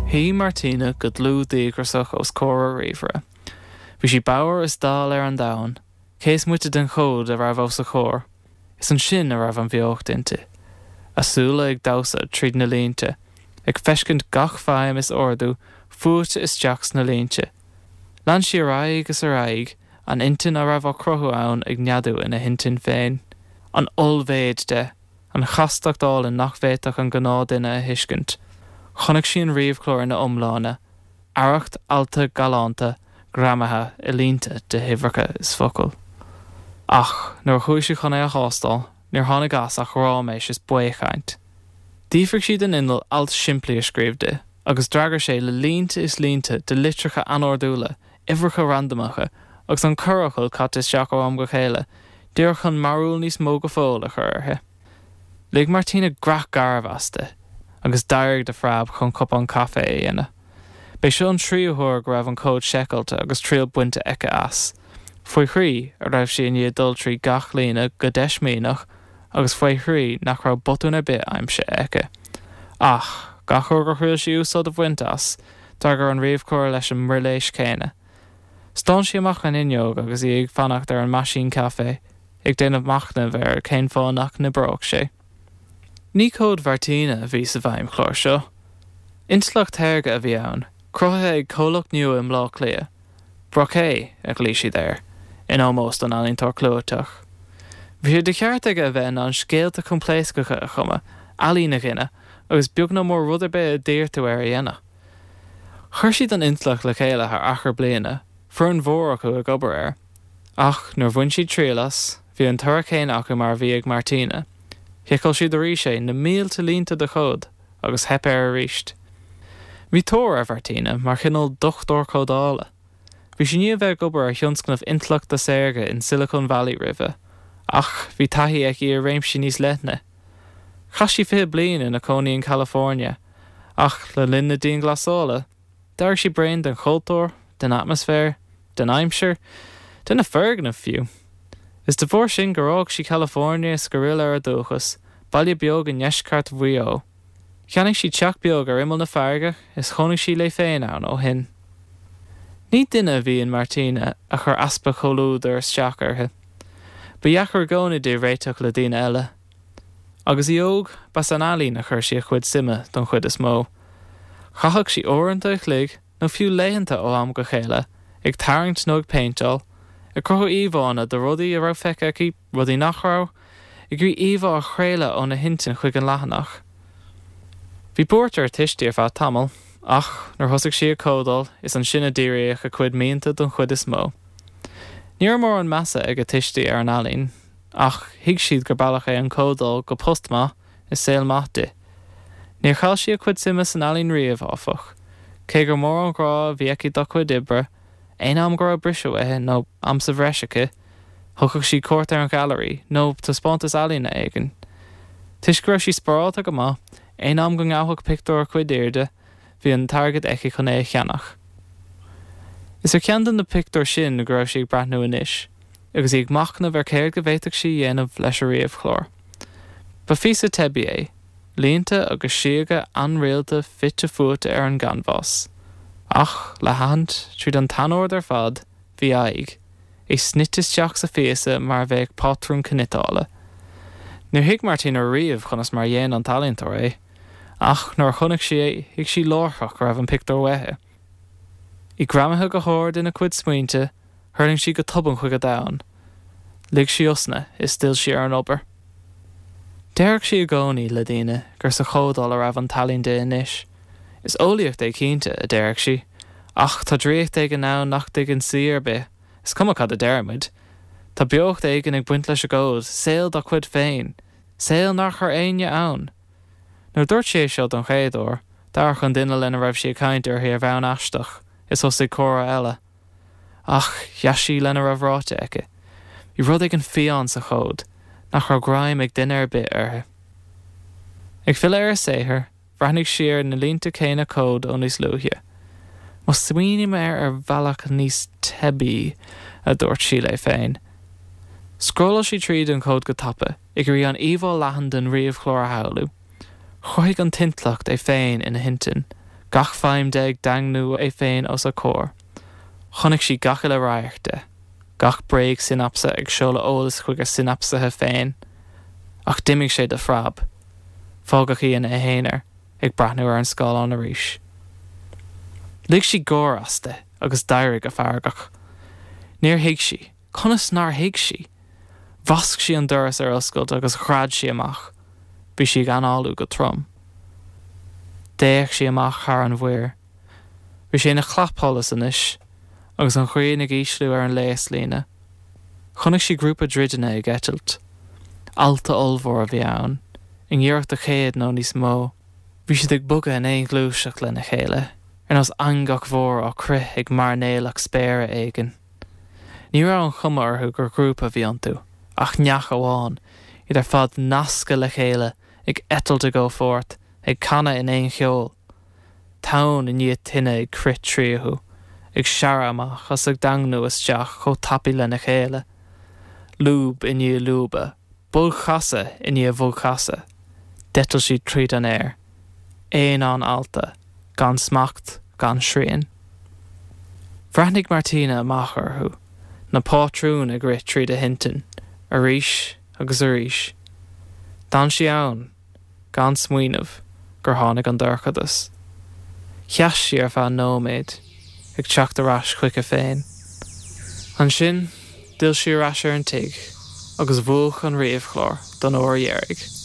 Shuigh Martina go dlúth díograiseach os comhair a ríomhaire. Bhí sí bodhar is dall ar an domhan, cé is moite den chód a raibh os a comhair. Is ansin a raibh an bheocht inti. A súile ag damhsa tríd na línte, ag feiscint gach feidhm is ordú fuaite isteach sna línte. Lean sí ar aghaidh is ar aghaidh, an intinn a raibh á cruthú ann ag neadú ina hintinn féin. An ollmhéid de. An chastacht álainn nach bhféadfadh an gnáthduine a thuiscint. Chonaic sí an ríomhchlár ina iomláine, arracht allta galánta greamaithe i línte de huimhreacha is focail. Ach nuair a chuaigh sí chun é a thástáil, níor tháinig as ach ráiméis is baothchaint. D'fhiafraigh sí den inneall alt simplí a scríobh di, agus d'fhreagair sé le línte is línte de litreacha anordúla, uimhreacha randamacha, agus an corrfhocal caite isteach ó am go chéile, díreach chun mearbhall níos mó go fóill a chur uirthi. Lig Martina creach garbh aisti, agus d'éirigh de phreab chun cupán caife a dhéanamh. B'é seo an tríú huair go raibh an cód seiceáilte agus triail bainte aici as. Faoi thrí a raibh sí i ndiaidh dul trí gach líne go deismíneach agus faoi thrí nach raibh botún ar bith aimsithe aici. Ach, gach uair gur thriail sí úsáid a bhaint as, d'fhreagair an ríomhchlár leis an mbrilléis chéanna. Stán sí amach an fhuinneog agus í ag fanacht ar an meaisín caife, ag déanamh machnaimh ar cén fáth nach n-oibreodh sé. Ní cód Mhartina a bhí sa bhfeidhmchlár seo. Intleacht shaorga a bhí ann, cruthaithe ag comhlacht nua i mBleá Cliath. Braquet, a ghlaoigh siad air, in ómós don ealaíontóir clúiteach. Bhí sé de cheart aige a bheith in ann scéalta coimpléascacha a chumadh, ealaín a ghineadh, agus beag nó mór rud ar bith a d'iarr tú air a dhéanamh. Chuir siad an intleacht le chéile thar achar bliana, foireann mhór acu ag obair air. Ach nuair a bhain siad triail as, bhí an toradh céanna acu mar a bhí ag Martina. Sheiceáil siad arís é, na mílte línte de chód, agus theip air arís. Bhí tóir ar Mhartina mar chineál dochtúir códála. Bhí sí i ndiaidh a bheith ag obair ar thionscnamh intleachta saorga in Silicon Valley roimhe, ach bhí taithí aici i réimsí níos leithne. Chaith sí 20 bliain ina cónaí in California, ach le linn na dianghlasála, d'éirigh sí bréan den chultúr, den atmaisféar, den aimsir, de na foirgnimh fiú. Is de bharr sin gur fhág sí California is gur fhill ar a dúchas, baile beag i ndeisceart Mhaigh Eo. Cheannaigh sí teach beag ar imeall na farraige is chónaigh sí léi féin ann ó shin. Ní duine a bhí in Martina a chuir easpa comhluadair isteach uirthi. Ba dheacair i gcónaí di réiteach le daoine eile. Agus í óg, ba san ealaín a chuir sí a cuid suime don chuid is mó. Chaitheadh sí uaireanta a chloig, nó fiú laethanta ó am go chéile, ag tarraingt nó ag péinteáil, ag cruthú íomhánna de rudaí a raibh feicthe aici, rudaí nach raibh, ag iarraidh íomhá a chraoladh óna hintinn chuig an leathanach. Bhí buairt ar a tuistí ar feadh tamaill, ach nuair thosaigh sí ag códáil, is ansin a díríodh a cuid mianta don chuid is mó. Ní raibh mórán measa ag a tuistí ar an ealaín, ach thuig siad gur bealach é an códáil go post maith is saol maith di. Níor chaill sí a cuid suime san ealaín riamh, áfach. Cé gur mór an grá a bhí aici dá cuid oibre, aon am go raibh briseadh uaithi nó am sa bhreis aici, thugadh sí cuairt ar an ghailearaí nó taispeántas ealaíne éigin. Toisc go raibh sí spárálta go maith, aon am go ngabhfadh pictiúr a cuid airde, bhí an t-airgead aici chun é a cheannach. Is ar cheann de na pictiúir sin go raibh sí ag breathnú anois, agus í ag machnamh ar céard go bhféadfadh sí a dhéanamh leis a ríomhchlár. Ba phíosa teibí é, línte agus síoga ainrialta fite fuaite ar an gcanbhás. Ach, le haithint, tríd an t-anord ar fad, bhí aghaidh, é snoite isteach sa phíosa mar a bheadh pátrún cniotála. Níor thuig Martina riamh conas mar a dhein an t-ealaíontóir é, ach nuair a chonaic sí é, thuig sí láithreach go raibh an pictiúr uaithi. Í greamaithe go hard ina cuid smaointe, Thuirling sí go tobann chuig a domhan. Lig sí osna is d'fhill sí ar an obair. Déarfadh sí i gcónaí le daoine gur sa chódáil a raibh an t-ealaín di anois. Is eolaíocht é cinnte, a déarfadh sí, ach tá draíocht éigin ann nach dtuigeann saoi ar bith, is cuma cad a deirimid. Tá beocht éigin ag baint leis an gcód, saol dá cuid féin, saol nár chuir éinne ann. Nuair a dúirt sí é seo don chéad uair, d'amharc an duine lena raibh sí ag caint uirthi ar bhonn aisteach is thosaigh comhrá eile. Ach sheas sí lena raibh ráite aici. Bhí rud éigin fiáin sa chód, nach raibh greim ag duine ar bith uirthi. Ag filleadh ar a saothar, bhreathnaigh sí ar na línte céanna cóid ó níos luaithe. Má smaoiním air ar bhealach níos teibí, a dúirt sí léi féin. Scrolláil sí tríd an chód go tapa, ag iarraidh an íomhá leathan den ríomhchlár a shamhlú. Chruthaigh an t-intleacht é féin ina hintinn. Gach feidhm de ag daingniú é féin os a comhair. Chonaic sí gach uile radharc de. Gach bréag-sionapsa ag seoladh eolais chuig a sionapsaithe féin. Ach d'imigh sé de phreab. Fágadh í ina haonar, ag breathnú ar an scáileán arís. Lig sí gáir aisti agus d'éirigh go feargach. Níor thuig sí. Conas nár thuig sí? Bhasc sí an doras ar oscailt agus ghread sí amach. Bhí sí ag análú go trom. D'fhéach sí amach thar an mhuir. Bhí sé ina chlapsholas anois, agus an ghrian ag ísliú ar an léaslíne. Chonaic sí grúpa druideanna ag eitilt. Ealta ollmhór a bhí ann, i ngiorracht do chéad nó níos mó. Bhí siad ag bogadh in aon ghluaiseacht lena chéile, ar nós eangach mhór á crith ag mairnéalach spéire éigin. Ní raibh an chuma orthu gur ghrúpa a bhí iontu, ach neach amháin, iad ar fad nasctha le chéile, ag eitilt i gcomhpháirt, ag canadh in aon cheol. Tonn i ndiaidh toinne ag crith tríothu, ag searradh amach agus ag daingniú isteach chomh tapaidh lena chéile. Lúb i ndiaidh lúibe, bogchasadh i ndiaidh bhogchasadh, d'eitil siad tríd an aer. Aonán ealta, gan smacht, gan srian. Bhreathnaigh Martina amach orthu, na pátrúin ag rith tríd a hintinn, arís agus arís. D'fhan sí ann, gan smaoineamh, gur tháinig an dorchadas. Sheas sí ar feadh nóiméid, ag teacht ar ais chuici féin. Ansin, d'fhill sí ar ais ar an tigh agus mhúch an ríomhchlár don uair dheiridh.